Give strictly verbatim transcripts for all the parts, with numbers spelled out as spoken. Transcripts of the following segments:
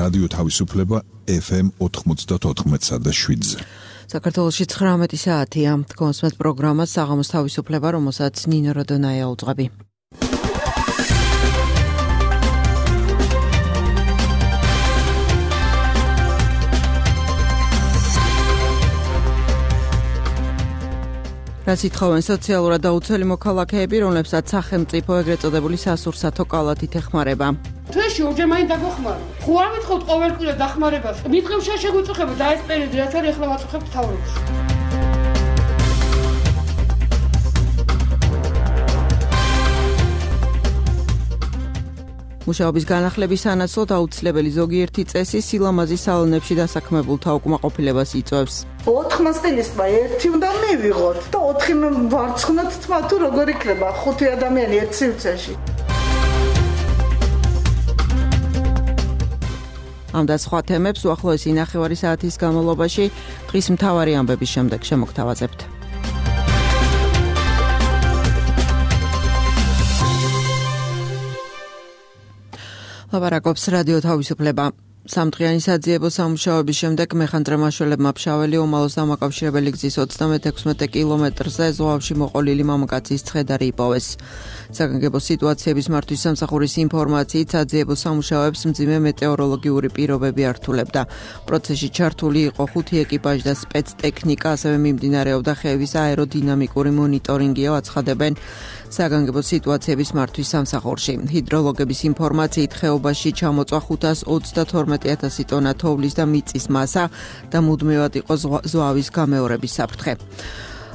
რადიო თავისუფლება ეფ ემ ოთხმოცდაოთხ და შვიდზე. საქართველოში ცხრამეტი საათია. კონსმეთ პროგრამას საღამოს თავისუფლება, რომელსაც ნინო როდონაია უძღვები. რაც ითხოვენ სოციალურად დაუცველი მოქალაქეები, რომლებსაც სახელმწიფო ეგრეთ წოდებული სასურსათო კალათით ეხმარება. თვეში ორჯერ მაინც დაგეხმარო. ხო არ მეთხოვთ ყოველკვირა დახმარებას. მითხევ შეგვიწუხება და ეს პერიოდი რაც არის ახლა ვაწუხებთ თავრობას. მუშაობის განახლების სანაცვლოდ აუცილებელი ზოგიერთი წესი სილამაზის სალონებში დასაქმებულთა უკმაყოფილებას იწვევს. ოთხმას წელიწადმა ერთი უნდა მივიღოთ და ოთხი ვარცხნოთ თმა თუ როგორ იქნება ხუთი ადამიანი ერთ სივრცეში. ამ და სხვა თემებს უახლოესი ნახევარი საათის განმავლობაში დღის მთავარი ამბების შემდეგ შემოგთავაზებთ. ლაპარაკობს რადიო თავისუფლება. სამდღიანი საძიებო სამუშაოების შემდეგ მეხანძრემაშველებმა ფშაველი ომალოს დამაკავშირებელი გზის ოცდამეთექვსმეტ კილომეტრზე ზღვავში მოყოლილი მამაკაცის ცხედარი იპოვეს. საგანგებო სიტუაციების მართვის სამსახურის ინფორმაციით საძიებო სამუშაოებს მძიმე მეტეოროლოგიური პირობები ართულებდა. პროცესში ჩართული იყო ხუთი ეკიპაჟი და სპეცტექნიკა, ასევე მიმდინარეობდა ხევის აეროდინამიკური მონიტორინგი, აცხადებენ საგანგებო სიტუაციების მართვის სამსახურში. ჰიდროლოგების ინფორმაციით ხეობაში ჩამოწვა ხუთას ოცდათორმეტი ათასი ტონა თოვლის და მიწის მასა და მუდმივად იყო ზვავის გამეორების საფრთხე.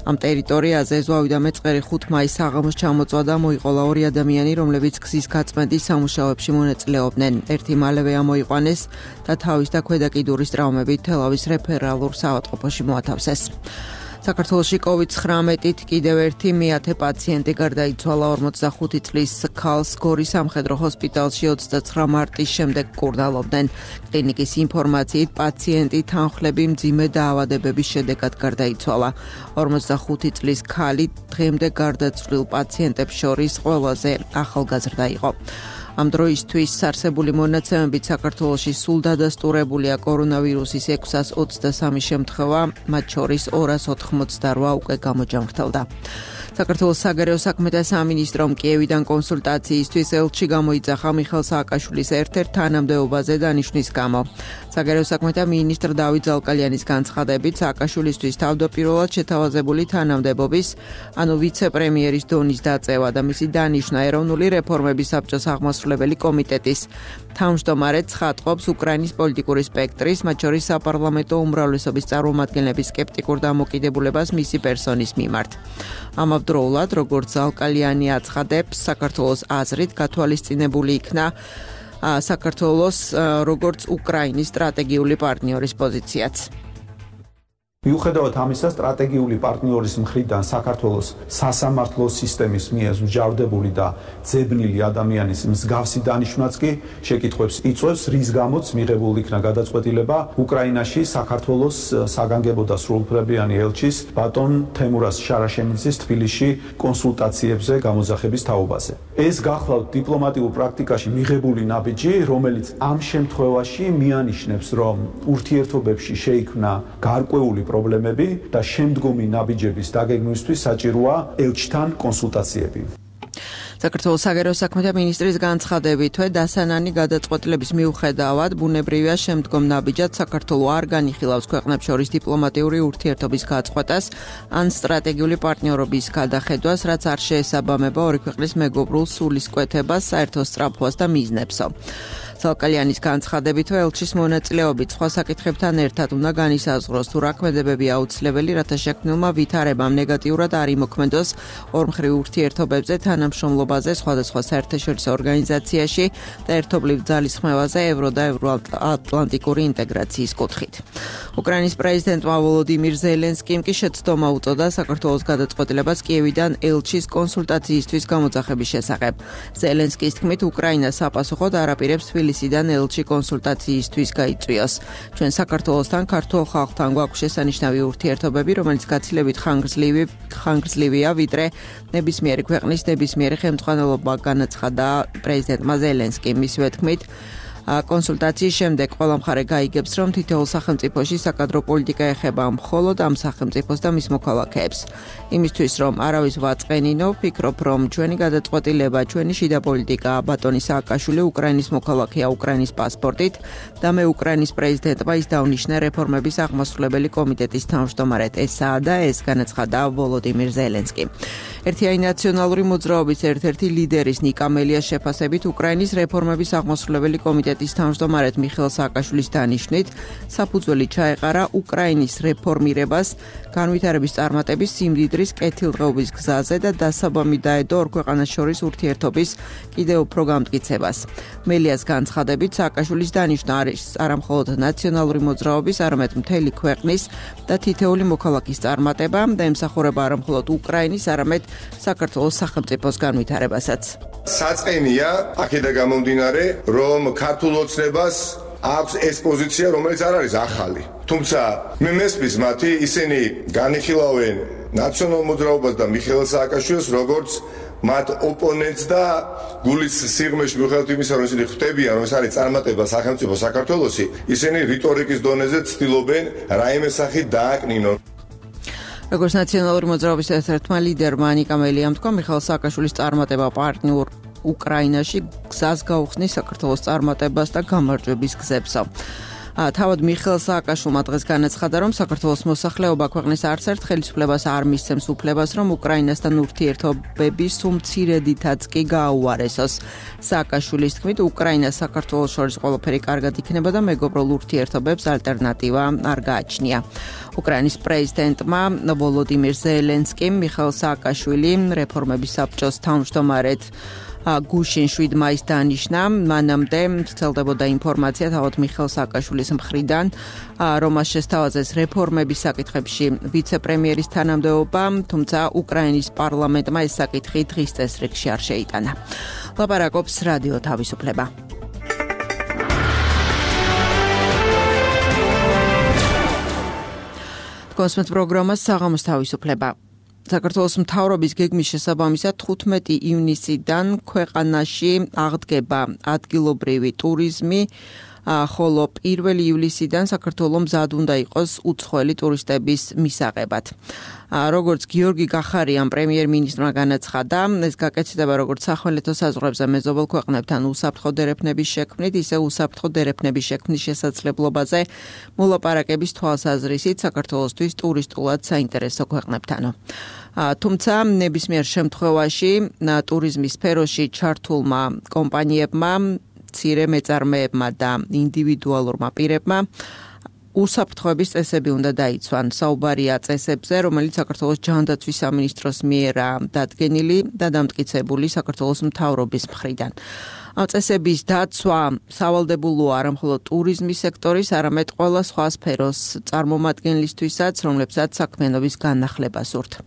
ამ ტერიტორიაზე ზვავიდან მეწყერი ხუთი მაისს საღამოს ჩამოწვა და მოიყოლა ორი ადამიანი, რომლებიც გზის გაწმენდის სამუშაოებში მონაწილეობდნენ. ერთი მალევე ამოიყვანეს და თავის და ქვედა კიდურის ტრავმებით თელავის რეფერალურ საავადმყოფოში მოათავსეს. საქართველოში კოვიდ ცხრამეტით კიდევ ერთი მეათე პაციენტი გარდაიცვალა. ორმოცდახუთი წლის ქალს გორის სამხედრო ჰოსპიტალში ოცდაცხრა მარტის შემდეგ კურნალობდნენ. კლინიკის ინფორმაციით პაციენტი თანხლები მძიმე დაავადებების შედეგად გარდაიცვალა. ორმოცდახუთი წლის ქალი დღემდე გარდაცვლილ პაციენტებს შორის ყველაზე ახალგაზრდა იყო. ამ დროისთვის არსებული მონაცემებით საქართველოში სულ დადასტურებულია კორონავირუსის ექვსას ოცდასამი შემთხვევა, მათ შორის ორას ოთხმოცდარვა უკვე გამოჯანმრთელდა. საქართველოს საგარეო საქმეთა სამინისტრომ კიევიდან კონსულტაციისთვის ელჩი გამოიძახა მიხეილ სააკაშვილის ერთ-ერთ თანამდებობაზე დანიშვნის გამო. საგარეო საქმეთა მინისტრ დავით ზალკალიანის განცხადებით, სააკაშვილისთვის თავდაპირველად შეთავაზებული თანამდებობის, ანუ ვიცე-პრემიერის დონის დაწევა და მისი დანიშვნა ეროვნული რეფორმების საბჭოს აღმასრულებელი კომიტეტის თავმჯდომარე ცხადყოფს უკრაინის პოლიტიკური სპექტრის, მათ შორის საპარლამენტო უმრავლესობის წარმომადგენლების სკეპტიკურ დამოკიდებულებას მისი პერსონის მიმართ. ამავდროულად, როგორც ზალკალიანი აცხადებს, საქართველოს აზრით გათვალისწინებული იქნა საქართველოს როგორც უკრაინის სტრატეგიული პარტნიორის პოზიციაც. მიუხედავად ამისა, სტრატეგიული პარტნიორის მხრიდან საქართველოს სასამართლო სისტემის მიერ მსჯავრდებული და ძებნილი ადამიანის მსგავსი დანიშვნაც კი შეკითხვებს იწვევს, რის გამოც მიღებულ იქნა გადაწყვეტილება უკრაინაში საქართველოს საგანგებო და სრულუფლებიანი ელჩის ბატონ თემურაზ შარაშემიძის თბილისში კონსულტაციებზე გამოძახების თაობაზე. ეს გახლავთ დიპლომატიურ პრაქტიკაში მიღებული ნაბიჯი, რომელიც ამ შემთხვევაში მიანიშნებს, რომ ურთიერთობებში შეიქმნა გარკვეული პრობლემები და შემდგომი ნაბიჯების დაგეგმვისთვის საჭიროა ელჩთან კონსულტაციები. საქართველოს საგარეო საქმეთა მინისტრის განცხადებით, დასანანი გადაწყვეტილების მიუხედავად, ბუნებრივია შემდგომ ნაბიჯად საქართველო არ განიხილავს ქვეყნებს შორის დიპლომატიური ურთიერთობის გაწყვეტას ან სტრატეგიული პარტნიორობის გადახედვას, რაც არ შეესაბამება ორი ქვეყნის მეგობრულ სულისკვეთებას, საერთო სწრაფვას და მიზნებსო. ზალკალიანის განცხადებით, ელჩის მონაწილეობით სხვა საკითხებთან ერთად უნდა განისაზღვროს, თუ რა ქმედებები აუცილებელი, რათა შექმნილმა ვითარებამ ნეგატიურად არ იმოქმედოს ორმხრივ ურთიერთობებზე, თანამშრომლობაზე სხვადასხვა საერთაშორისო ორგანიზაციაში და ერთობლივ ძალისხმევაზე ევრო და ევროატლანტიკური ინტეგრაციის კუთხით. უკრაინის პრეზიდენტმა ვოლოდიმირ ზელენსკიმ კი შეცდომა უწოდა საქართველოს გადაწყვეტილებას კიევიდან ელჩის კონსულტაციისთვის გამოძახების შესახებ. ზელენსკის თქმით, უკრაინა sapasukod არაპირებს თბილისიდან ელჩი კონსულტაციისთვის გაიწვიოს. ჩვენ საქართველოსთან, ქართულ ხალხთან გვაქვს შესანიშნავი ურთიერთობები, რომელიც გაცილებით ხანგრძლივი ხანგრძლივია, ვიდრე ნებისმიერი ქვეყნის ნებისმიერი ხელმძღვანელობა, განაცხადა პრეზიდენტმა ზელენსკიმ. მისივე თქმით, კონსულტაციის შემდეგ ყველა მხარე გაიგებს, რომ თითოეულ სახელმწიფოში საკადრო პოლიტიკა ეხება მხოლოდ ამ სახელმწიფოს და მის მოქალაქეებს. იმისთვის, რომ არავის ვაწყენინო, ვფიქრობ, რომ ჩვენი გადაწყვეტილება, ჩვენი შიდა პოლიტიკა, ბატონი სააკაშვილი უკრაინის მოქალაქეა უკრაინის პასპორტით და მე უკრაინის პრეზიდენტმა ის დაუნიშნა რეფორმების აღმასრულებელი კომიტეტის თავმჯდომარედ. ესაა და ეს განაცხადა ვოლოდიმირ ზელენსკი. ერთიანი ნაციონალური მოძრაობის ერთ-ერთი ლიდერის ნიკა მელიას შეფასებით უკრაინის რეფორმების აღმასრულებელი კომიტეტის თავმჯდომარედ მიხეილ სააკაშვილის დანიშვნით საფუძველი ჩაეყარა უკრაინის რეფორმირებას განვითარების წარმატების სიმდიდრის კეთილდღეობის გზაზე და დასაბამი დაედო ორ ქვეყანას შორის ურთიერთობის კიდევ უფრო გამტკიცებას. მელიას განცხადებით სააკაშვილის დანიშვნა არის არამხოლოდ ნაციონალური მოძრაობის, არამედ მთელი ქვეყნის და თითეული მოქალაქის წარმატება და ემსახურება არამხოლოდ უკრაინის, არამედ საქართველოს სახელმწიფოს განვითარებასაც. საწყენია აქედან გამომდინარე, რომ ქართულ ოცნებას აქვს ეს პოზიცია, რომელიც არ არის ახალი. თუმცა მე მესმის მათი, ისინი განიხილავენ ნაციონალურ მოძრაობას და მიხეილ სააკაშვილს როგორც მათ ოპონენტს და გულის სიღრმეში მიუხედავად იმისა, რომ ისინი ხვდებიან, რომ ეს არის წარმატება სახელმწიფო საქართველოსი, ისინი რიტორიკის დონეზე ცდილობენ რაიმე სახით დააკნინონ. როგორც ნაციონალური მოძრაობის ერთ-ერთმა ლიდერმა ნიკა მელიამ თქვა, მიხეილ სააკაშვილის წარმატება პარტნიორ უკრაინაში გზას გაუხსნის საქართველოს წარმატებას და გამარჯვების გზებსა. თავად მიხეილ სააკაშვილმა დღეს განაცხადა, რომ საქართველოს მოსახლეობა ქვეყნის არც ერთ ხელისუფლებას არ მისცემს უფლებას, რომ უკრაინასთან ურთიერთობები სულ მცირედითაც კი გააუარესოს. სააკაშვილის თქმით, უკრაინას საქართველოს შორის ყველაფერი კარგად იქნება და მეგობრულ ურთიერთობებს ალტერნატივა არ გააჩნია. უკრაინის პრეზიდენტმა ვოლოდიმირ ზელენსკიმ მიხეილ სააკაშვილი რეფორმების საბჭოს თავმჯდომარედ გუშინ შვიდ მაისს დანიშნა. მანამდე ვრცელდებოდა ინფორმაცია თავად მიხეილ სააკაშვილის მხრიდან, რომ მას შესთავაზეს რეფორმების საკითხებში ვიცე-პრემიერის თანამდებობა, თუმცა უკრაინის პარლამენტმა ეს საკითხი დღის წესრიგში არ შეიტანა. ლაპარაკობს რადიო თავისუფლება. კონსმეთ პროგრამას საღამოს თავისუფლება. საქართველოს მთავრობის გეგმის შესაბამისად თხუთმეტი ივნისიდან ქვეყანაში აღდგება ადგილობრივი ტურიზმი, ხოლო პირველი ივლისიდან საქართველოს მზად უნდა იყოს უცხოელი ტურისტების მისაღებად. როგორც გიორგი გახარიან პრემიერ-მინისტრმა განაცხადა, ეს გაკეთდება როგორც სახმელეთო საზღვრებზე მეზობელ ქვეყნებთან უსაფრთხო დერეფნების შექმნით, ისე უსაფრთხო დერეფნების შექმნის შესაძლებლობაზე მოლაპარაკების თვალსაზრისით საქართველოსთვის ტურისტულად საინტერესო ქვეყნებთანო. თუმცა ნებისმიერ შემთხვევაში ტურიზმის სფეროში ჩართულმა კომპანიებმა, მცირე მეწარმეებმა და ინდივიდუალურმა პირებმა უსაფრთხოების წესები უნდა დაიცვან. საუბარია წესებზე, რომელიც საქართველოს ჯანდაცვის სამინისტროს მიერა დადგენილი და დამტკიცებული საქართველოს მთავრობის მხრიდან. ამ წესების დაცვა სავალდებულოა არამხოლოდ ტურიზმის სექტორის, არამედ ყველა სხვა სფეროს წარმომადგენლისთვისაც, რომლებსაც საქმიანობის განახლება სურთ.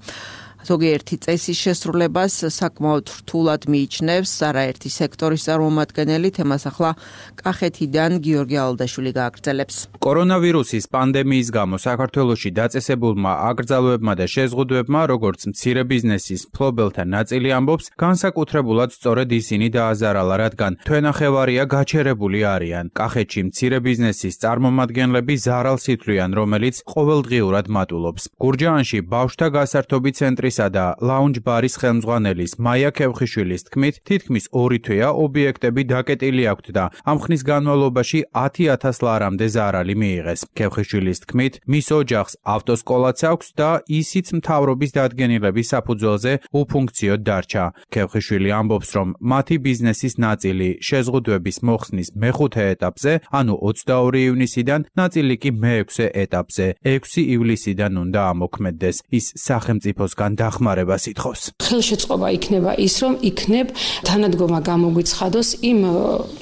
ზოგიერთი წესის შესრულებას საკმაოდ რთულად მიიჩნევს არაერთი სექტორის წარმომადგენელი. თემას ახლა კახეთიდან გიორგი ალდაშვილი გააგრძელებს. კორონავირუსის პანდემიის გამო საქართველოში დაწესებულმა აკრძალვებმა და შეზღუდვებმა, როგორც მცირე ბიზნესის მფლობელთა ნაწილი ამბობს, განსაკუთრებულად სწორედ ისინი დააზარალა, რადგან თვენახევარია გაჩერებული არიან. კახეთში მცირე ბიზნესის წარმომადგენლები ზარალს ითვლიან, რომელიც ყოველდღიურად მატულობს. გურჯაანში ბავშვთა გასართობი ცენტრი და ლაუნჯ ბარის ხელმძღვანელის მაია ქევხიშვილის თქმით, თითქმის ორი თვეა ობიექტები დაკეტილი აქვთ და ამ ხნის განმავლობაში ათი ათას ლარამდე ზარალი მიიღეს. ქევხიშვილის თქმით, მის ოჯახს ავტოსკოლაც აქვს და ისიც მთავრობის დადგენილების საფუძველზე უფუნქციოდ დარჩა. ქევხიშვილი ამბობს, რომ მათი ბიზნესის ნაწილი შეზღუდვების მოხსნის მეხუთე ეტაპზე, ანუ ოცდაორი ივნისიდან, ნაწილი კი მეექვსე ეტაპზე, ექვსი ივლისიდან უნდა ამოქმედდეს. ის სახელმწიფოსგან დახმარებას ითხოვს. ხელშეწყობა იქნება ის, რომ იქნებ თანადგომა გამოგვიცხადოს იმ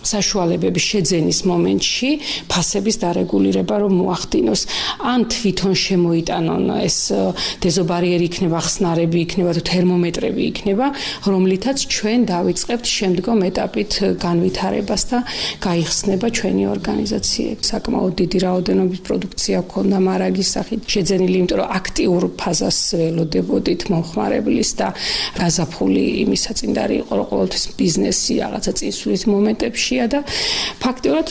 საშუალებების შეძენის მომენტში ფასების დარეგულირება რომ მოახდინოს. ან თვითონ შემოიტანონ ეს დეზობარიერი იქნება, ხსნარები იქნება, თუ თერმომეტრები იქნება, რომლითაც ჩვენ დავიწყებთ შემდგომ ეტაპით განვითარებას და გაიხსნება ჩვენი ორგანიზაციები. საკმაოდ დიდი რაოდენობის პროდუქცია ქონდა მარაგის სახით შეძენილი, იმიტომ რომ აქტიურ ფაზას ველოდებოდით. მომხმარებლის და გაზაფხული იმის საწინდარი იყო, რომ ყოველთვის ბიზნესი რაღაცა წინსვლის მომენტებშია და ფაქტიურად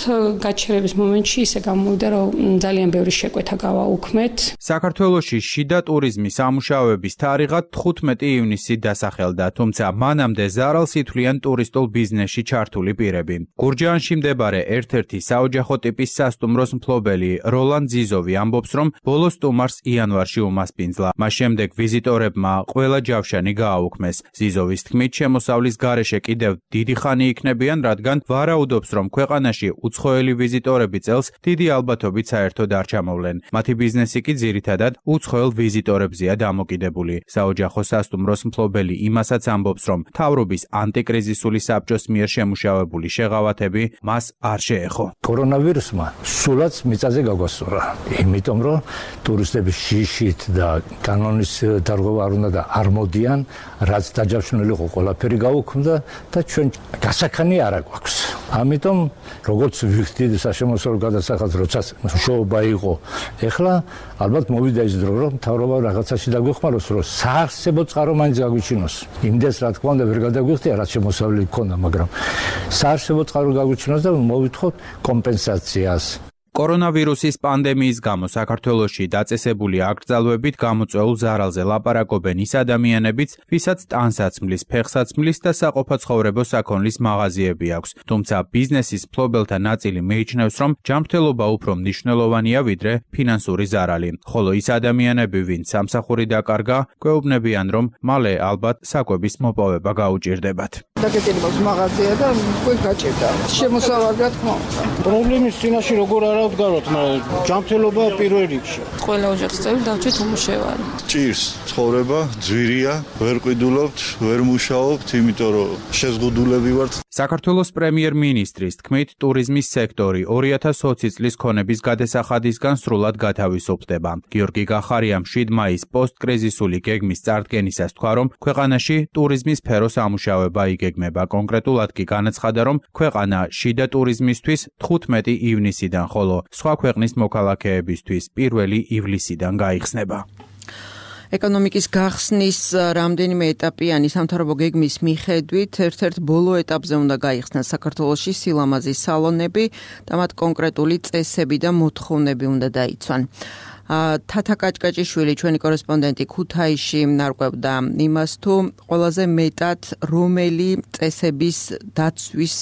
გაჩერების მომენტში ისე გამოვიდა, რომ ძალიან ბევრი შეკვეთა გავაუქმეთ. საქართველოში შიდა ტურიზმის სამუშაოების თარიღად თხუთმეტი ივნისი დასახელდა, თუმცა მანამდე ზარალს ითვლიან ტურისტულ ბიზნესში ჩართული პირები. გურჯაანში მდებარე ერთ-ერთი საოჯახო ტიპის სასტუმროს მფლობელი როლან ზიზოვი ამბობს, რომ ბოლო სტუმარს იანვარში უმასპინძლა. მას შემდეგ ვიზიტორებმა ყველა ჯავშანი გააუქმეს. ზიზოვის თქმით, შემოსავლის გარეშე კიდევ დიდი ხანი იქნებიან, რადგან ვარაუდობს, რომ ქვეყანაში უცხოელი ვიზიტორები წელს დიდი ალბათობით საერთოდ არ ჩამოვლენ. მათი ბიზნესი კი ძირითადად უცხოელ ვიზიტორებზეა დამოკიდებული. საოჯახო სასტუმროს მფლობელი იმასაც ამბობს, რომ მთავრობის ანტიკრიზისული საბჭოს მიერ შემუშავებული შეღავათები მას არ შეეხო. კორონავირუსმა სულაც მიწაზე გაგვასწორა. იმიტომ რომ ტურისტების შიშით და კანონის დარღვევა არ უნდა და არ მოდიან, რაც დაჯავშნული იყო, ყველაფერი გაუქმდა და ჩვენ გასაქანი არ აქვს. ამიტომ როგორც ვიხდით საშემოსავლო გადასახადს, როცა მშოობა იყო, ეხლა ალბათ მოვიდა ის დრო, რომ მთავრობა რაღაცაში დაგვეხმაროს, რომ საარსებო წყარო მაინც გაგვიჩინოს. იმდეს რა თქმა უნდა ვერ გადაგვიხდია, რაც შემოსავლელი ჰქონდა, მაგრამ საარსებო წყარო გაგვიჩინოს და მოვითხოვთ კომპენსაციას. კორონავირუსის პანდემიის გამო საქართველოში დაწესებული აკრძალვებით გამოწვეულ ზარალზე ლაპარაკობენ ის ადამიანებიც, ვისაც ტანსაცმლის, ფეხსაცმლის და საყოფაცხოვრებო საქონლის მაღაზიები აქვს. თუმცა ბიზნესის მფლობელთა ნაწილი მიიჩნევს, რომ ჯანმრთელობა უფრო მნიშვნელოვანია ვიდრე ფინანსური ზარალი. ხოლო ის ადამიანები, ვინც სამსახური დაკარგა, გვეუბნებიან, რომ მალე ალბათ საკვების მოპოვება გაუჭირდებათ. დაგეჭირებავს მაღაზია და უკვე გაჭირდა. შემოსავალი რა თქმა უნდა. პრობლემის წინაშე როგორ არ ავდგაროთ, მაგრამ ჯანმრთელობა პირველ რიგში. ყველა ოჯახის წევრი დავჭირთ უმუშევარი. ჭირს ცხოვრება, ძვირია, ვერ ყიდულობთ, ვერ მუშაობთ, იმიტომ რომ შეზღუდულები ვართ. საქართველოს პრემიერ-მინისტრის თქმით, ტურიზმის სექტორი ორი ათას ოცი წლის ქონების გადასახადისგან სრულად გათავისუფლდება. გიორგი გახარიამ შვიდ მაისს პოსტკრიზისული გეგმის წარდგენისას თქვა, რომ ქვეყანაში ტურიზმის სფეროს ამუშავება იგეგმება. კონკრეტულად კი განაცხადა, რომ ქვეყანა შიდა ტურიზმისთვის თხუთმეტი ივნისიდან, ხოლო სხვა ქვეყნის მოქალაქეებისთვის პირველი ივლისიდან გაიხსნება. ეკონომიკის გახსნის რამდენიმე ეტაპიანი სამთავრობო გეგმის მიხედვით ერთ-ერთ ბოლო ეტაპზე უნდა გაიხსნას საქართველოში სილამაზის სალონები და მათ კონკრეტული წესები და მოთხოვნები უნდა დაიცვან. თათა კაჭკაჭიშვილი, ჩვენი კორესპონდენტი ქუთაისში ნარკვევდა იმას, თუ ყველაზე მეტად რომელი წესების დაცვის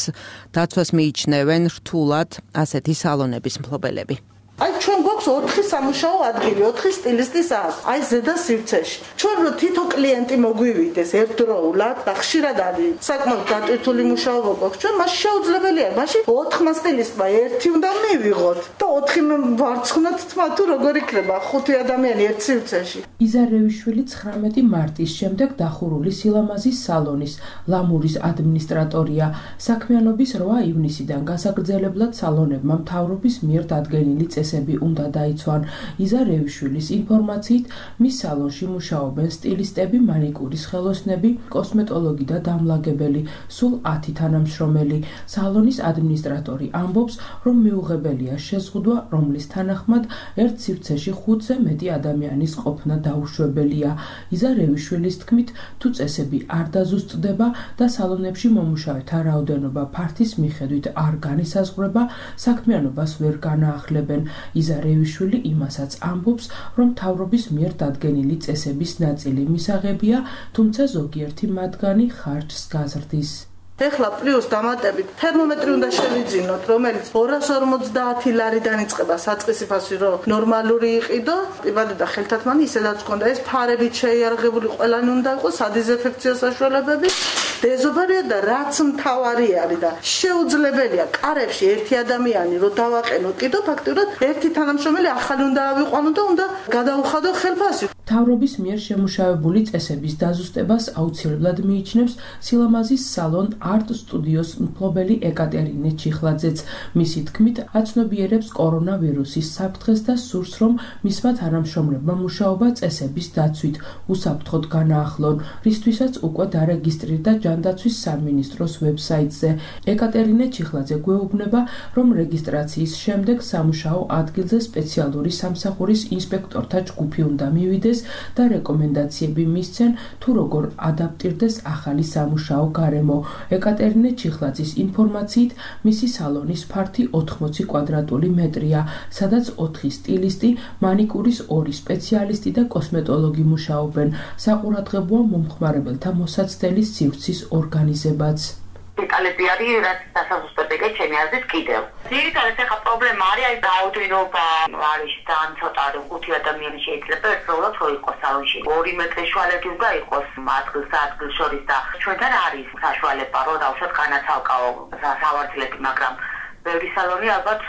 დაცვას მიიჩნევენ რთულად ასეთი სალონების მფლობელები. აი ჩვენ გვაქვს ოთხი სამუშაო ადგილი, ოთხი სტილისტის აქვს. აი ზედა სივრცეში. ჩვენ რო თითო კლიენტი მოგვივიდეს ერთდროულად და ხშირად არის საკმაოდ დატვირთული მუშაობა გვაქვს. ჩვენ მას შეუძლებელია, მაშინ ოთხმა სტილისტმა ერთი უნდა მივიღოთ და ოთხი ვარცხნოთ თმა თუ როგორ იქნება ხუთი ადამიანი ერთ სივრცეში. იზარევიშვილი ცხრამეტი მარტის შემდეგ დახურული სილამაზის სალონის ლამურის ადმინისტრატორია. საქმიანობის რვა ივნისიდან გასაგრძელებლად სალონებმა მთავრობის მიერ დადგენილი წესები უნდა დაიცვან. იზარევიშვილის ინფორმაციით, მის სალონში მუშაობენ სტილისტები, მანიკურის ხელოსნები, კოსმეტოლოგი და დამლაგებელი, სულ ათი თანამშრომელი. სალონის ადმინისტრატორი ამბობს, რომ მიუღებელია შეზღუდვა, რომლის თანახმად ერთ სივრცეში ხუთზე მეტი ადამიანის ყოფნა დაუშვებელია. იზარევიშვილის თქმით, თუ წესები არ დაზუსტდება და სალონებში მომუშავეთა რაოდენობა ფართის მიხედვით არ განისაზღვრება, საქმიანობას ვერ განაახლებენ. იზარევიშვილი იმასაც ამბობს, რომ მთავრობის მიერ დადგენილი წესების ნაწილი მისაღებია, თუმცა ზოგიერთი მათგანი ხარჯს გაზრდის. ეხლა პლუს დამატებით თერმომეტრი უნდა შევიძინოთ, რომელიც ორას ორმოცდაათი ლარიდან იწყება საწყისი ფასი, რომ ნორმალური იყიდო, იბადე და ხელთათმანი ისედაც ჰქონდა ეს ფარებით შეიარაღებული, ყველანი უნდა იყოს სადიზინფექციო საშუალებები, დეზობარია და რაც მთავარი არის და შეუძლებელია კარებში ერთი ადამიანი რო დავაყენოთ, კიდო ფაქტურად ერთი თანამშრომელი ახალი უნდა ავიყვანო და უნდა გადაუხადო ხელფასი. მთავრობის მიერ შემუშავებული წესების დაზუსტებას აუცილებლად მიიჩნევს სილამაზის სალონ არტ სტუდიოს მფლობელი ეკატერინე ჩიხლაძეც. მისი თქმით, აცნობიერებს კორონავირუსის საფრთხეს და სურს, რომ მისმა თანამშრომლებმა მუშაობა წესების დაცვით უსაფრთხოდ განაახლონ, რისთვისაც უკვე დარეგისტრირდა ჯანდაცვის სამინისტროს ვებსაიტზე. ეკატერინე ჩიხლაძე გვეუბნება, რომ რეგისტრაციის შემდეგ სამუშაო ადგილზე სპეციალური სამსახურის ინსპექტორთა ჯგუფი უნდა მივიდეს და რეკომენდაციები მისცენ, თუ როგორ ადაპტირდეს ახალი სამუშაო გარემო. ეკატერინე ჩიხლაძის ინფორმაციით, მისი სალონის ფართი ოთხმოცი კვადრატული მეტრია, სადაც ოთხი სტილისტი, მანიკურის ორი სპეციალისტი და კოსმეტოლოგი მუშაობენ. საყურადღებოა მომხმარებელთა მოსაცდელის სივრცის ორგანიზებაც. დეტალები არის, რაც დასაზუსტებ ეგეთ ჩემი აზრით კიდევ. ძირითადად ახლა პრობლემა არის აი რაოდენობა არის თან ცოტა ხუთი ადამიანი შეიძლება ერთდროულად ხო იყოს სალონში. ორი მეტრის შუალედი უნდა იყოს ადგილს ადგილს შორის და ჩვენთან არის საშუალება, რომ დავუშვათ განაცალკაო სავარძლები, მაგრამ ბევრი სალონი ალბათ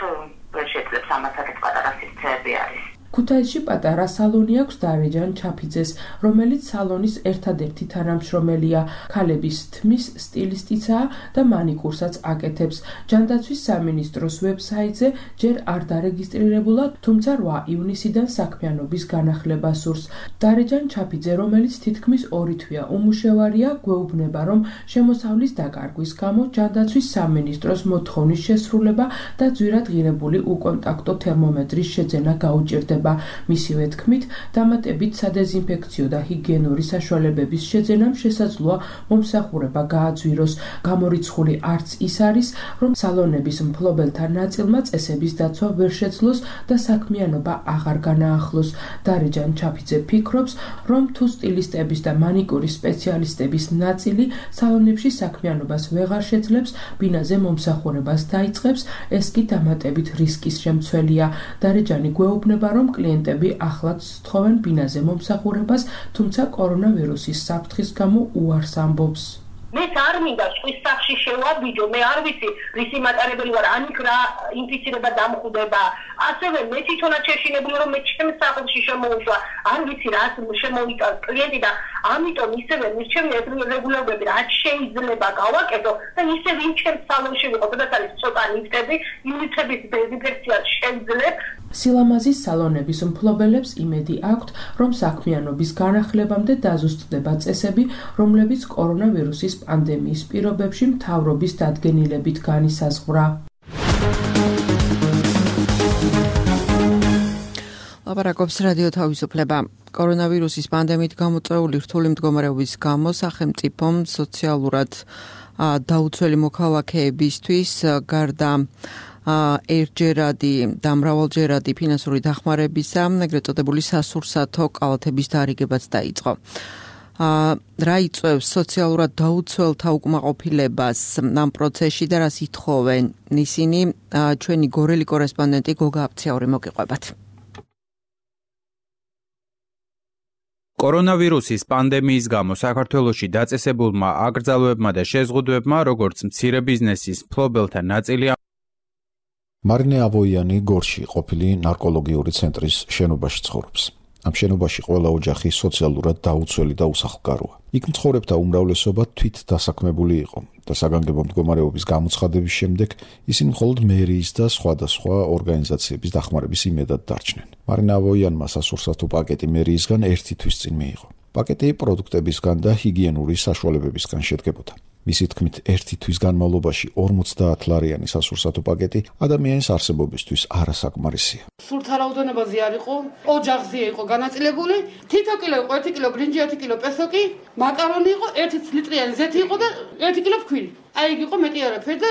ვერ შეძლებს ამას, აქეთ პატარა სივრცეები არის. ქუთაისში პატარა სალონი აქვს დარეჯან ჩაფიძეს, რომელიც სალონის ერთადერთი თანამშრომელია, ქალების თმის სტილისტიცაა და მანიკურსაც აკეთებს. ჯანდაცვის სამინისტროს ვებსაიტზე ჯერ არ დარეგისტრირებულა, თუმცა რვა ივნისიდან საქმიანობის განახლება სურს. დარეჯან ჩაფიძე, რომელიც თითქმის ორი თვეა უმუშევარია, გვეუბნება, რომ შემოსავლის დაკარგვის გამო ჯანდაცვის სამინისტროს მოთხოვნის შესრულება და ძვირადღირებული უკონტაქტო თერმომეტრის შეძენა გაუჭირდება. მისივე თქმით, დამატებით სადეზინფექციო და ჰიგიენური საშუალებების შეძენამ შესაძლოა მომსახურება გააძვიროს. გამორიცხული არც ის არის, რომ სალონების მფლობელთა ნაწილმა წესების დაცვა ვერ შეძლოს და საქმიანობა აღარ განაახლოს. დარეჯან ჩაფიძე ფიქრობს, რომ თუ სტილისტების და მანიკურის სპეციალისტების ნაწილი სალონებში საქმიანობას ვეღარ შეძლებს, ბინაზე მომსახურებას დაიწყებს, ეს კი დამატებით რისკის შემცველია. დარეჯანი გვეუბნება, რომ კლიენტები ახლაც სთხოვენ ბინაზე მომსახურებას, თუმცა კორონავირუსის საფრთხის გამო უარს ამბობს. მე არ მინდა სხვის სახში შევაბიჯო, მე არ ვიცი რისი მატარებელი ვარ, ან იქ რა ინფიცირება დამხვდება. ასევე მე თვითონაც შეშინებული რომ მე ჩემს სახლში შემოუშვა, არ ვიცი რა შემოვიდა კლიენტი და ამიტომ ისევე მირჩევი ეს რეგულირებები რაც შეიძლება გავაკეთო და ისე ვინ ჩემს სალონში ვიყო, სადაც არის ცოტა ნივთები, ნივთების დეზინფექცია შეძლებ. სილამაზის სალონების მფლობელებს იმედი აქვთ, რომ საქმიანობის განახლებამდე დაზუსტდება წესები, რომლებიც კორონავირუსის პანდემიის პირობებში მთავრობის დადგენილებით განისაზღვრა. ლაპარაკობს რადიო თავისუფლება. კორონავირუსის პანდემიით გამოწვეული რთული მდგომარეობის გამო სახელმწიფომ სოციალურად დაუცველი მოქალაქეებისთვის გარდა ერთჯერადი და მრავალჯერადი ფინანსური დახმარებისა, ეგრეთ წოდებული სასურსათო კალათების დარიგებაც დაიწყო. რა იწვევს სოციალურად დაუცველთა უკმაყოფილებას ამ პროცესში და რას ითხოვენ ისინი, ჩვენი გორელი კორესპონდენტი გოგა აფციური მოგიყვებათ. კორონავირუსის პანდემიის გამო საქართველოში დაწესებულმა აკრძალვებმა და შეზღუდვებმა, როგორც მცირე ბიზნესის მფლობელთა ნაწილი მარინე ავოიანი გორში ყოფილი ნარკოლოგიური ცენტრის შენობაში ცხოვრობს. ამ შენობაში ყველა ოჯახი სოციალურად დაუცველი და უსახლკაროა. იქ მცხოვრებთა უმრავლესობა თვით დასაქმებული იყო და საგანგებო მდგომარეობის გამოცხადების შემდეგ ისინი მხოლოდ მერიის და სხვადასხვა ორგანიზაციების დახმარების იმედად დარჩნენ. მარინე ავოიანმა სასურსათო პაკეტი მერიისგან ერთი თვის წინ მიიღო. პაკეტი პროდუქტებისგან და ჰიგიენური საშუალებებისგან შედგებოდა. მისი თქმით, ერთი თვის განმავლობაში ორმოცდაათ ლარიანი სასურსათო პაკეტი ადამიანის არსებობისთვის არასაკმარისია. სულთა რაოდენობაზე არ იყო, ოჯახზე იყო განაწილებული, თითო კილო იყო, ერთი კილო ბრინჯი, ერთი კილო პესოკი, მაკარონი იყო, ერთი ლიტრიანი ზეთი იყო და ერთი კილო ფქვილი. აი იქ იყო მეტი არაფერი და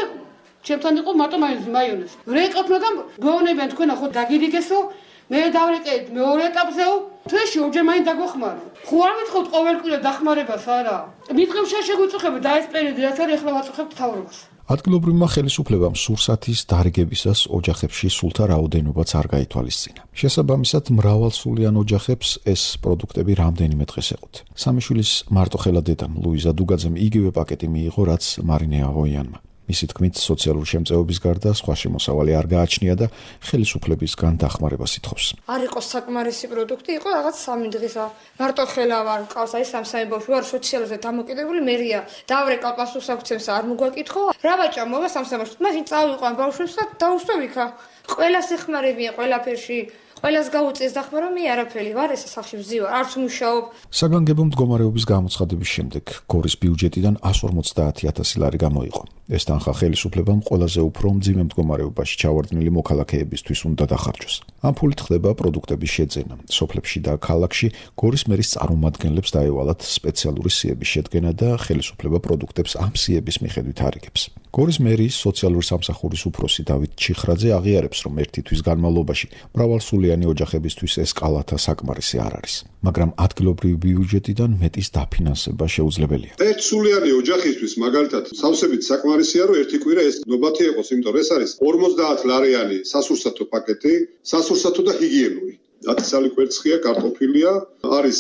ჩემთან იყო მარტო მაიონეზი. ვრეყავთ, მაგრამ გეუბნებიან თქვენ ახო დაგირიგესო, მე დავრეკეთ მეორე ეტაპზეო, თვეში ორჯერ მაინც დაგვეხმარო. ხო არ მითხოთ ყოველკვირა დახმარებას არა. მითხევ შეგვიწუხებთ და ეს პერიოდი რაც არის ახლა ვაწუხებთ თავრობას. ადგილობრივმა ხელისუფლებამ სურსათის დარიგებისას ოჯახებში სულთა რაოდენობაც არ გაითვალისწინა. შესაბამისად, მრავალსულიან ოჯახებს ეს პროდუქტები რამდენიმე დღეს ეყოთ. სამი შვილის მარტოხელა დედამ ლუიზა დუგაძემ იგივე პაკეტი მიიღო, რაც მარინე ავოიანმა. მისი თქმით, სოციალური შემწეობის გარდა სხვა შემოსავალი არ გააჩნია და ხელისუფლებისგან დახმარებას ითხოვს. არ იყო საკმარისი პროდუქტი, იყო რაღაც სამი დღისა. მარტოხელა ვარ, ყავს აი სამსამი ბავშვი ვარ, სოციალზე დამოკიდებული მერია. დავრეკავ პასუხს აქცევს, არ მოგვაკითხო. რა ვაჭამ მოვა სამსამი ბავშვი. მაშინ წავიყვან ბავშვებს და დაუშვევ იქა. ყველა სიხმარებია, ყველაფერში. ყველას გაუწიეს დახმა რომ მე არაფერი ვარ, ეს სახში ვზივარ, არც მუშაობ. საგანგებო მდგომარეობის გამოცხადების შემდეგ გორის ბიუჯეტიდან εκατს ორმოცდაათი ათასი ლარი გამოიყო. ეს თანხა ხელისუფლებამ ყველაზე უფრო მძიმე მდგომარეობაში ჩავარდნილი მოქალაქეებისთვის უნდა დახარჯოს. ამ ფულით ხდება პროდუქტების შეძენა. სოფლებში და ქალაქში გორის მერის წარმომადგენლებს დაევალათ სპეციალური სიების შედგენა და ხელისუფლება პროდუქტებს ამ სიების მიხედვით არიგებს. გორის მერის სოციალური სამსახურის უფროსი დავით ჩიხრაძე აღიარებს, რომ ერთი თვის განმავლობაში მრავალსულიანი ოჯახებისთვის ეს კალათა საკმარისი არ არის, მაგრამ ადგილობრივი ბიუჯეტიდან მეტის დაფინანსება შეუძლებელია. ერთსულიანი ოჯახისთვის მაგალითად სავსებით საკმარისია, რომ ერთი კვირა ეს ნობათი იყოს, იმიტომ რომ ეს არის ორმოცდაათ ლარიანი სასურსათო პაკეტი, სასურსათო და ჰიგიენური. ათასალი კვერცხია, კარტოფილია, არის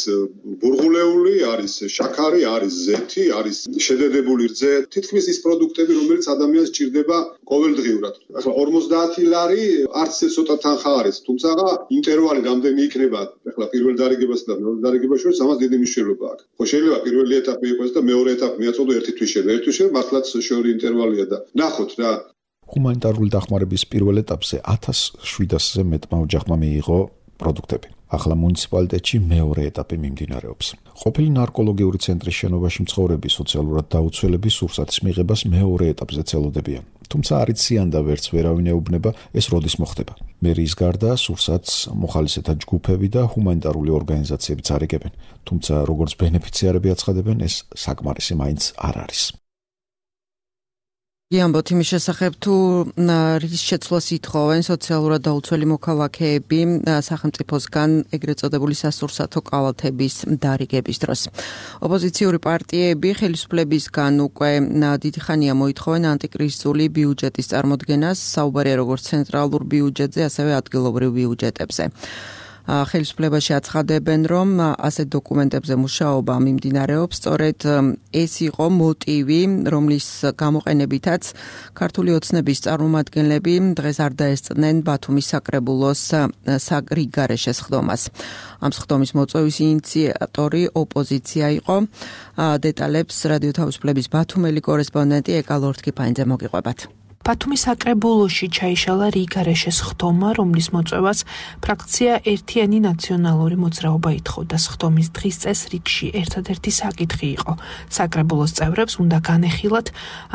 ბურღულეული, არის შაქარი, არის ზეთი, არის შედედებული რძე, თითქმის ის პროდუქტები, რომელიც ადამიანს სჭირდება ყოველდღიურად. ახლა ორმოცდაათი ლარი არც ეს ცოტა თანხა არის, თუმცა ინტერვალი რამდენი იქნება, ახლა პირველ დარიგებასა და მეორე დარიგებას შორის ამას დიდი მნიშვნელობა აქვს. ხო შეიძლება პირველი ეტაპი იყოს და მეორე ეტაპი მიაწოდო ერთი თვის შენ, ერთი თვის შენ მართლაც შორი ინტერვალია და ნახოთ რა. ჰუმანიტარული დახმარების პირველ ეტაპზე ათას შვიდასზე მეტმა ოჯახმა მიიღო პროდუქტები. ახლა მუნიციპალიტეტში მეორე ეტაპი მიმდინარეობს. ყოფილი ნარკოლოგიური ცენტრის შენობაში მცხოვრები სოციალურად დაუცველები სურსათის მიღებას მეორე ეტაპზე ცელოდებიან. თუმცა არ იციან და ვერც ვერავინ ეუბნება, ეს როდის მოხდება. მერიის გარდა სურსათს მოხალისეთა ჯგუფები და ჰუმანიტარული ორგანიზაციებიც არიგებენ. თუმცა როგორც ბენეფიციარები აცხადებენ, ეს საკმარისი მაინც არ არის. ამბობთ იმის შესახებ, თუ რის შეცვლას ითხოვენ სოციალურად დაუცველი მოქალაქეები სახელმწიფოსგან ეგრეთ წოდებული სასურსათო კალათების დარიგების დროს. ოპოზიციური პარტიები ხელისუფლებისგან უკვე დიდი ხანია მოითხოვენ ანტიკრიზისული ბიუჯეტის წარმოდგენას, საუბარია როგორც ცენტრალურ ბიუჯეტზე, ასევე ადგილობრივ ბიუჯეტებზე. ხელისუფლებაში აცხადებენ, რომ ასეთ დოკუმენტებზე მუშაობა მიმდინარეობს. სწორედ ეს იყო მოტივი, რომლის გამოყენებითაც ქართული ოცნების წარმომადგენლები დღეს არ დაესწრნენ ბათუმის საკრებულოს რიგგარეშე სხდომას. ამ სხდომის მოწვევის ინიციატორი ოპოზიცია იყო. დეტალებს რადიო თავისუფლების ბათუმელი კორესპონდენტი ეკა ლორთქიფანიძე მოგიყვებათ. ბათუმის საკრებულოში ჩაიშალა რიგგარეშე სხდომა, რომლის მოწვევას ფრაქცია ერთიანი ნაციონალური მოძრაობა ითხოვდა. სხდომის დღის წესრიგში ერთადერთი საკითხი იყო. საკრებულოს წევრებს უნდა განეხილათ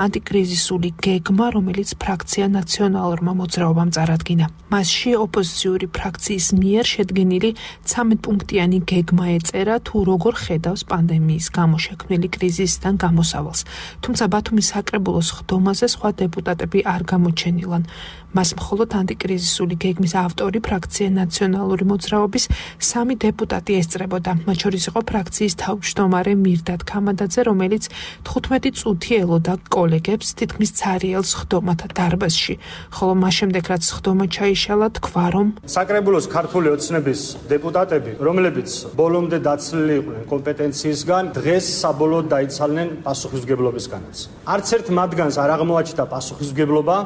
ანტიკრიზისული გეგმა, რომელიც ფრაქცია ნაციონალურმა მოძრაობამ წარადგინა. მასში ოპოზიციური ფრაქციის მიერ შედგენილი ცამეტ-პუნქტიანი გეგმა ეწერა, თუ როგორ ხედავს პანდემიის გამო შექმნილი კრიზისიდან გამოსავალს. თუმცა ბათუმის საკრებულოს სხდომაზე სხვა დეპუტატები არ გამოჩენილან. მას მხოლოდ ანტიკრიზისული გეგმის ავტორი ფრაქცია ნაციონალური მოძრაობის სამი დეპუტატი ესწრებოდა. მათ შორის იყო ფრაქციის თავმჯდომარე მირდად ქამადაძე, რომელიც თხუთმეტი წუთი ელოდა კოლეგებს თითქმის ცარიელ სხდომათა დარბაზში. ხოლო მას შემდეგ რაც სხდომა ჩაიშალა, თქვა რომ საკრებულოს ქართული ოცნების დეპუტატები, რომლებიც ბოლომდე დაცლილი იყვნენ კომპეტენციისგან, დღეს საბოლოოდ დაიცალნენ პასუხისმგებლობისგანაც. არც ერთ მათგანს არ აღმოაჩნდა პასუხისმგებლობა,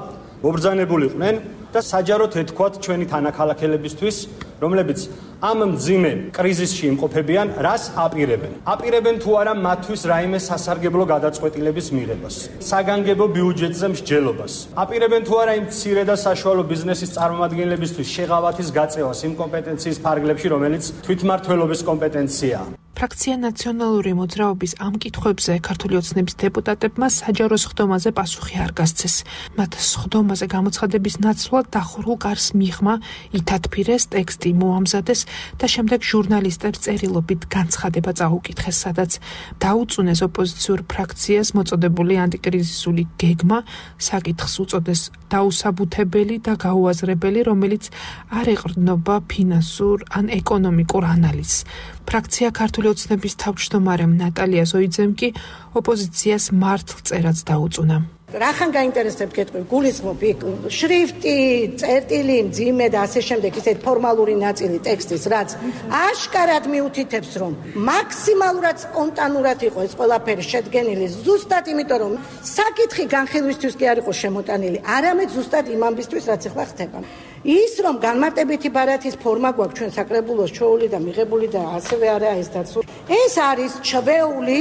მობრძანებული იყვნენ და საჯაროდ ეთქვათ ჩვენი თანაქალაქელებისთვის, რომლებიც ამ მძიმე კრიზისში იმყოფებიან, რას აპირებენ. აპირებენ თუ არა მათთვის რაიმე სასარგებლო გადაწყვეტილების მიღებას, საგანგებო ბიუჯეტზე მსჯელობას. აპირებენ თუ არა იმ მცირე და საშუალო ბიზნესის წარმომადგენლებისთვის შეღავათის გაწევას იმ კომპეტენციის ფარგლებში, რომელიც თვითმმართველობის კომპეტენციაა. ფრაქცია ნაციონალური მოძრაობის ამ კითხვებზე ქართული ოცნების დეპუტატებმა საჯარო სხდომაზე პასუხი არ გასცეს. მათ სხდომაზე გამოცხადების ნაცვლად დახურულ გარს მიღმა ითათფირეს, ტექსტი მოამზადეს და შემდეგ ჟურნალისტებს წერილობით განცხადება წაუკითხეს, სადაც დაუწუნეს ოპოზიციურ ფრაქციას მოწოდებული ანტიკრიზისული გეგმა, საკითხს უწოდეს დაუსაბუთებელი და გაუაზრებელი, რომელიც არ ეყრდნობა ფინანსურ ან ეკონომიკურ ანალიზს. ფრაქცია ქართული ოცნების თავმჯდომარემ ნატალია ზოიძემ კი ოპოზიციას მართლწერაც დაუწუნა. რახან გაინტერესებთ გეტყვი, გულისხმობ იქ შრიფტი, წერტილი, მძიმე და ასე შემდეგ ისეთ ფორმალური ნაწილი ტექსტის, რაც აშკარად მიუთითებს, რომ მაქსიმალურად სპონტანურად იყო ეს ყველაფერი შედგენილი, ზუსტად იმიტომ, რომ საკითხი განხილვისთვის კი არ იყო შემოტანილი, არამედ ზუსტად იმ ამბისთვის, რაც ახლა ხდება. ის რომ განმარტებითი ბარათის ფორმა გვაქვს ჩვენ საკრებულოს ჩოული და მიღებული და ასევე არაა ეს დაცული. ეს არის ჩვეული,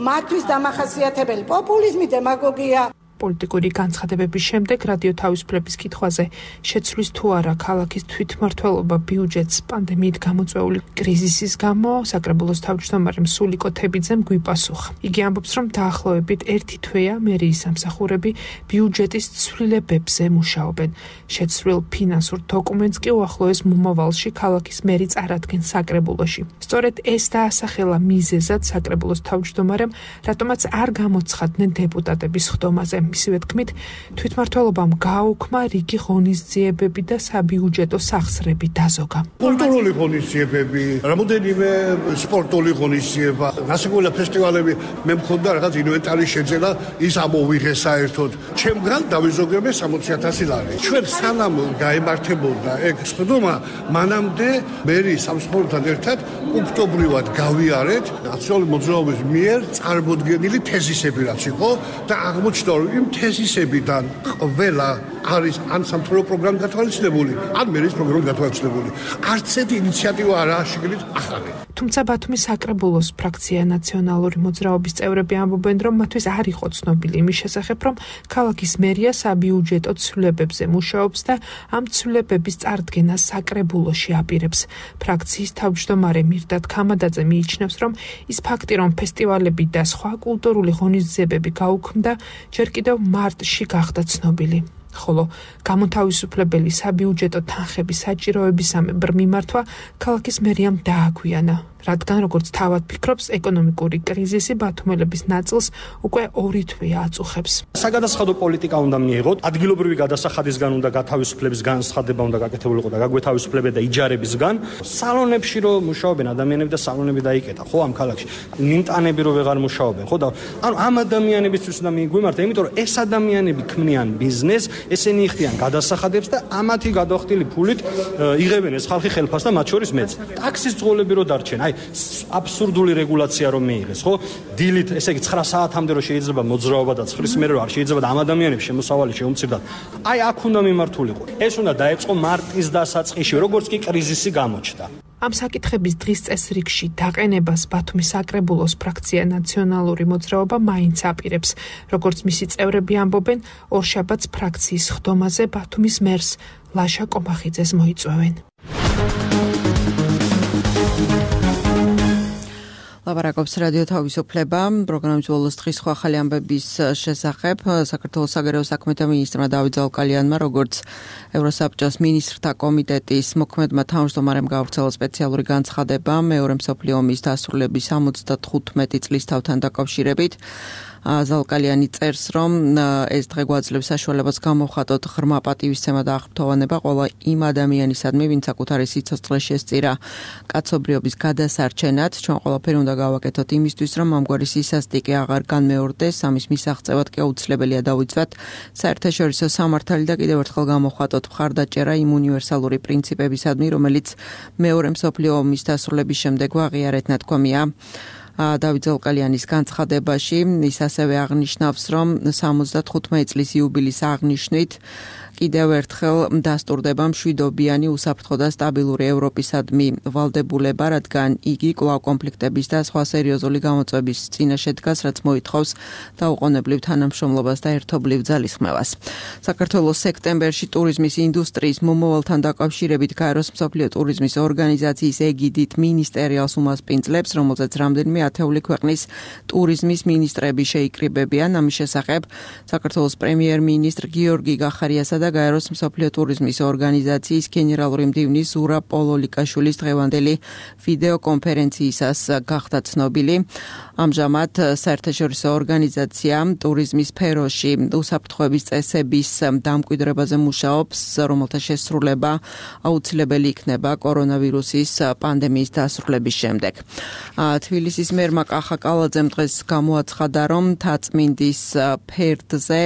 მათთვის დამახასიათებელი პოპულიზმი, დემაგოგია. პოლიტიკური განცხადებების შემდეგ რადიო თავისუფლების კითხვაზე შეცვლის თუ არა ქალაქის თვითმმართველობა ბიუჯეტს პანდემიით გამოწვეული კრიზისის გამო, საკრებულოს თავმჯდომარე სულიკო თებიძემ გვიპასუხა. იგი ამბობს, რომ დაახლოებით ერთი თვეა მერიის სამსახურები ბიუჯეტის ცვლილებებზე მუშაობენ. შეცვლილ ფინანსურ დოკუმენტს კი უახლოეს მომავალში ქალაქის მერი წარადგენს საკრებულოში. სწორედ ეს დაასახელა მიზეზად საკრებულოს თავმჯდომარემ, რატომაც არ გამოცხადდნენ დეპუტატების ხდომაზე. მისივე თქმით, თვითმმართველობამ გააუქმა რიგი ღონისძიებები და საბიუჯეტო სახსრები დაზოგა. კულტურული ღონისძიებები, რამოდენიმე სპორტული ღონისძიება, გასაგებია ფესტივალები, მე მქონდა რაღაც ინვენტარი შეძენა, ის ამოვიღე საერთოდ. ჩემგან დავიზოგებე სამოცი ათასი ლარი. ჩვენ სანამ გაემართებოდა ეგ ხდომა, მანამდე მერი სამსახურთან ერთად პუნქტობრივად გავიარეთ ნაციონალური მოძრაობის მიერ წარმოდგენილი თეზისები რაც იყო და აღმოჩნდა რომ იმ თეზისებიდან ყველა არის ან სამთავრობო პროგრამა გათვალისწინებული, ან მერის პროგრამა გათვალისწინებული. არც ერთი ინიციატივა არაა შეგიძლიათ ახალი. თუმცა ბათუმის საკრებულოს ფრაქცია ნაციონალური მოძრაობის წევრები ამბობენ, რომ მათთვის არ იყო ცნობილი იმის შესახებ, რომ ქალაქის მერია საბიუჯეტო ცვლილებებზე მუშაობს და ამ ცვლილებების წარდგენას საკრებულოში აპირებს. ფრაქციის თავმჯდომარე მირდად ქამადაძე მიიჩნევს, რომ ის ფაქტი, რომ ფესტივალები და სხვა კულტურული ღონისძიებები გაუქმდა, ჯერ კიდევ მარტში გახდა ცნობილი. ხოლო გამოთავისუფლებელი საბიუჯეტო თანხების საჭიროებისამებრ მიმართვა ქალაქის მერიამ დააგვიანა, რადგან როგორც თავად ფიქრობს, ეკონომიკური კრიზისი ბათუმელების ნაწილს უკვე ორი თვეა აწუხებს. საგადასახადო პოლიტიკა უნდა მიიღოთ, ადგილობრივი გადასახადისგან უნდა გათავისუფლების განცხადება უნდა გაკეთებულიყო და გაგვეთავისუფლებდა იჯარებისგან. სალონებში რომ მუშაობენ ადამიანები და სალონები დაიკეტა, ხო ამ ქალაქში. ნიმტანები რომ ვეღარ მუშაობენ, ხო და ანუ ამ ადამიანებისთვის უნდა მიგვიმართა, იმიტომ რომ ეს ადამიანები ქმნიან ბიზნესს, ესენი იხდიან გადასახადებს და ამათი გადახდილი ფულით იღებენ ეს ხალხი ხელფას და მათ შორის მეც. ტაქსის ძღოლები რო დარჩენ, აი აბსურდული რეგულაცია რომ მიიღეს, ხო? დილით, ესე იგი ცხრა საათამდე რო შეიძლება მოძრაობა და ცხრის მერე რო არ შეიძლება და ამ ადამიანებს შემოსავალი შეუმცირდათ. აი აქ უნდა მიმართულიყო. ეს უნდა დაეწყო მარტის დასაწყისში, როგორც კი კრიზისი გამოჩნდა. ამ საკითხების დღის წესრიგში დაყენებას ბათუმის საკრებულოს ფრაქცია ნაციონალური მოძრაობა მაინც აპირებს. როგორც მისი წევრები ამბობენ, ორშაბათს ფრაქციის ხდომაზე ბათუმის მერს ლაშა კომახიძეს მოიწვევენ. ლაპარაკობს რადიო თავისუფლება, პროგრამის ბოლოს დღის სხვა ახალი ამბების შესახებ. საქართველოს საგარეო საქმეთა მინისტრმა დავით ზალკალიანმა, როგორც ევროსაბჭოს მინისტრთა კომიტეტის მოქმედმა თავმჯდომარემ გავრცელა სპეციალური განცხადება მეორე მსოფლიო ომის დასრულების ორმოცდახუთმეტი წლის თავთან დაკავშირებით. ზალკალიანი წერს, რომ ეს დღე გვაძლევს საშუალებას გამოვხატოთ ღრმა პატივისცემა და აღფრთოვანება ყველა იმ ადამიანისადმი, ვინც საკუთარი სიცოცხლე შესწირა კაცობრიობის გადასარჩენად. ჩვენ ყველაფერი უნდა გავაკეთოთ იმისთვის, რომ ამგვარი სისასტიკე აღარ განმეორდეს, ამის მისაღწევად კი აუცილებელია დავიცვათ საერთაშორისო სამართალი და კიდევ ერთხელ გამოვხატოთ მხარდაჭერა იმ უნივერსალური პრინციპებისადმი, რომელიც მეორე მსოფლიო ომის დასრულების შემდეგ აღიარეთ ნათქვამია. დავით ზალკალიანის განცხადებაში ის ასევე აღნიშნავს, რომ სამოცდახუთმეტი წლის იუბილის აღნიშვნით კიდევ ერთხელ დასტურდება მშვიდობიანი, უსაფრთხო და სტაბილური ევროპისადმი ვალდებულება, რადგან იგი კვლავ კონფლიქტების და სხვა სერიოზული გამოწვევების წინაშე დგას, რაც მოითხოვს დაუყოვნებლივ თანამშრომლობას და ერთობლივ ძალისხმევას. საქართველოს სექტემბერში ტურიზმის ინდუსტრიის მომავალთან დაკავშირებით გაეროს მსოფლიო ტურიზმის ორგანიზაციის ეგიდით მინისტერიალს უმასპინძლებს, რომელზეც რამდენიმე ათეული ქვეყნის ტურიზმის მინისტრები შეიკრიბებიან. ამის შესახებ საქართველოს პრემიერ-მინისტრ გიორგი გახარიასა და გაეროს მსოფლიო ტურიზმის ორგანიზაციის გენერალური მდივნის ზურაბ პოლოლიკაშვილის დღევანდელი ვიდეო კონფერენციისას გახდა ცნობილი. ამჟამად საერთაშორისო ორგანიზაცია ტურიზმის სფეროში უსაფრთხოების წესების დამკვიდრებაზე მუშაობს, რომელთა შესრულება აუცილებელი იქნება კორონავირუსის პანდემიის დასრულების შემდეგ. თბილისის მერმა კახა კალაძემ დღეს გამოაცხადა, რომ თაწმინდის ფერდზე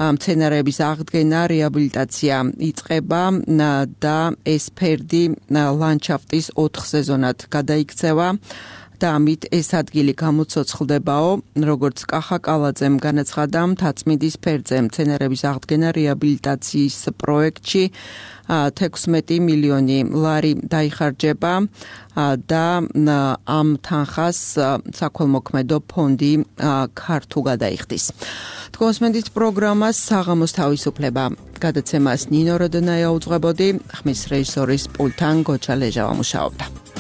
მცენარეების აღდგენა, რეაბილიტაცია იწყება და ეს ფერდი ლანდშაფტის ოთხ სეზონად გადაიქცევა. და ამით ეს ადგილი გამოცოცხლდებაო, როგორც კახა კალაძემ განაცხადა მთაწმინდის ფერზე მცენარების აღდგენა რეაბილიტაციის პროექტში თექვსმეტი მილიონი ლარი დაიხარჯება და ამ თანხას საქველმოქმედო ფონდი ქართუ გადაიხდის. თქოსმენდით პროგრამას საღამოს თავისუფლება გადაცემას ნინო როდონაია უძღვებოდი, ხმის რეჟისორის პულტან გოჩა ლეჟავა მუშაობდა.